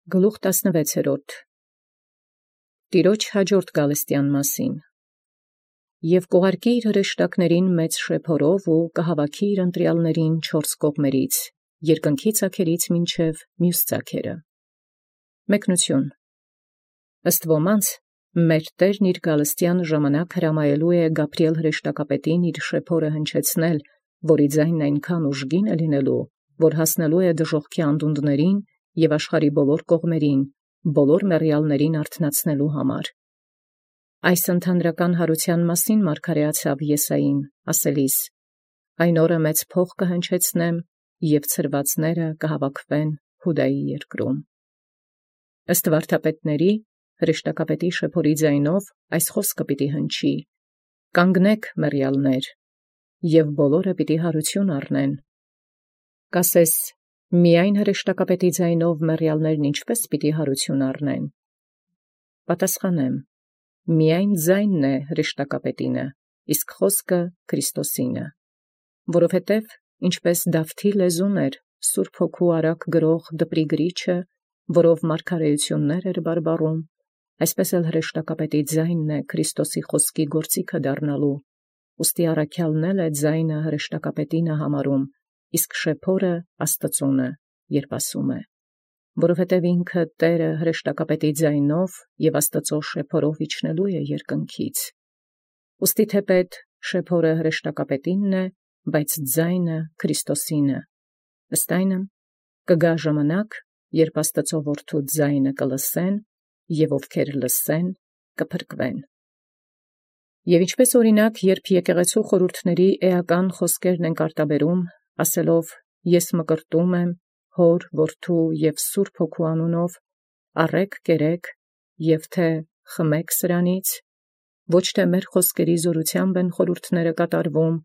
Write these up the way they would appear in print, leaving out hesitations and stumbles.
Գլուխ 16 Տիրոջ հաջորդ գալստյան մասին։ Եվ կուղարկի իր հրեշտակներին մեծ շեփորով ու կհավաքի իր ընտրյալներին չորս կողմերից, երկնքի ծագերից մինչև մյուս ծագերը։ Մեկնություն։ Ըստ ոմանց, մեր Տերն իր գալստյան ժամանակ հրամայելու է Գաբրիել հրեշտակապետին իր շեփորը հնչեցնել, որի ձայնն այնքան ուժգին է լինելու, որ հասնելու է դժոխքի անդունդներին և աշխարհի բոլոր կողմերին, բոլոր մեռյալներին արթնացնելու համար։ Այս ընդհանրական հարության մասին մարգարեացավ Եսային, ասելիս. «Այն օրը մեծ փող կհնչեցնեմ, և ցրվածները կհավաքվեն Հուդայի երկրում»։ Ըստ վարդապետների, հրեշտակապետի շեփորի ձայնով այս խոսքը պիտի հնչի. «Կանգնեք, մեռյալներ, և բոլորը պիտի հարություն առնեն»։ Կասես, միայն հրեշտակապետի ձայնով մեռյալներն ինչպե՞ս պիտի հարություն առնեն։ Պատասխանեմ. միայն ձայնն է հրեշտակապետինը, իսկ խոսքը Քրիստոսինը։ Որովհետև ինչպես Դավթի լեզուն էր Սուրբ Հոգու արագ գրող դպրի գրիչը, որով մարգարեություններ էր բարբառում, այսպես էլ հրեշտակապետի ձայնն է Քրիստոսի խոսքի գործիքը դառնալու, ուստի առաքյալն էլ է ձայնը հրեշտակապետինը համարում, իսկ շեփորը Աստծունը, երբ ասում է. որովհետև ինքը Տերը հրեշտակապետի ձայնով և Աստծո շեփորով իջնելու է երկնքից։ Ուստի թեպետ շեփորը հրեշտակապետինն է, բայց ձայնը Քրիստոսինը։ Ըստ այնմ, կգա ժամանակ, երբ Աստծո որդու ձայնը կլսեն, և ովքեր լսեն, կփրկվեն։ Եվ ինչպես օրինակ, երբ եկեղեցու խորհուրդների էական խոսքերն են արտաբերում, ասելով. «Ես մկրտում եմ Հոր, Որդու և Սուրբ Հոգու անունով, առեք կերեք, և թե խմեք սրանից», ոչ թե մեր խոսքերի զորությամբ են խորհուրդները կատարվում,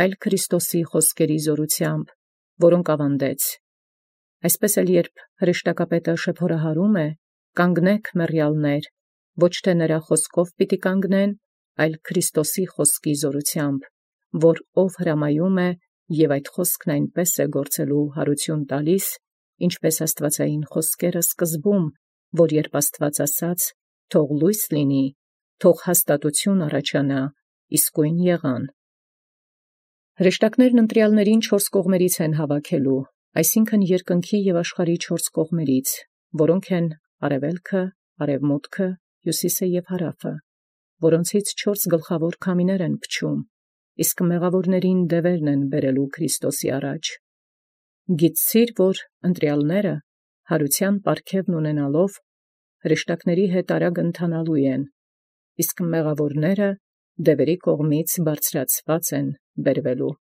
այլ Քրիստոսի խոսքերի զորությամբ, որոնք ավանդեց։ Այսպես էլ երբ հրեշտակապետը շեփորահարում է. «Կանգնեք, մեռյալներ», ոչ թե նրա խոսքով պիտի կանգնեն, այլ Քրիստոսի խոսքի զորությամբ, որ ով հրամայում է, և այդ խոսքն այնպես է գործելու հարություն տալիս, ինչպես աստվածային խոսքերը սկզբում, որ երբ Աստված ասաց. «Թող լույս լինի», թող հաստատություն առաջանա, իսկույն եղան։ Հրեշտակներն ընտրյալներին չորս կողմերից են հավաքելու, այսինքն երկնքի և աշխարհի չորս կողմերից, որոնք են արևելքը, արևմուտքը, հյուսիսը և հարավը, որոնցից չորս գլխավոր քամիներ են փչում, իսկ մեղավորներին դևերն են բերելու Քրիստոսի առաջ։ Գիտցիր, որ ընտրյալները հարության պարգևն ունենալով հրեշտակների հետ արագ ընթանալու են, իսկ մեղավորները դևերի կողմից բարձրացված են բերվելու։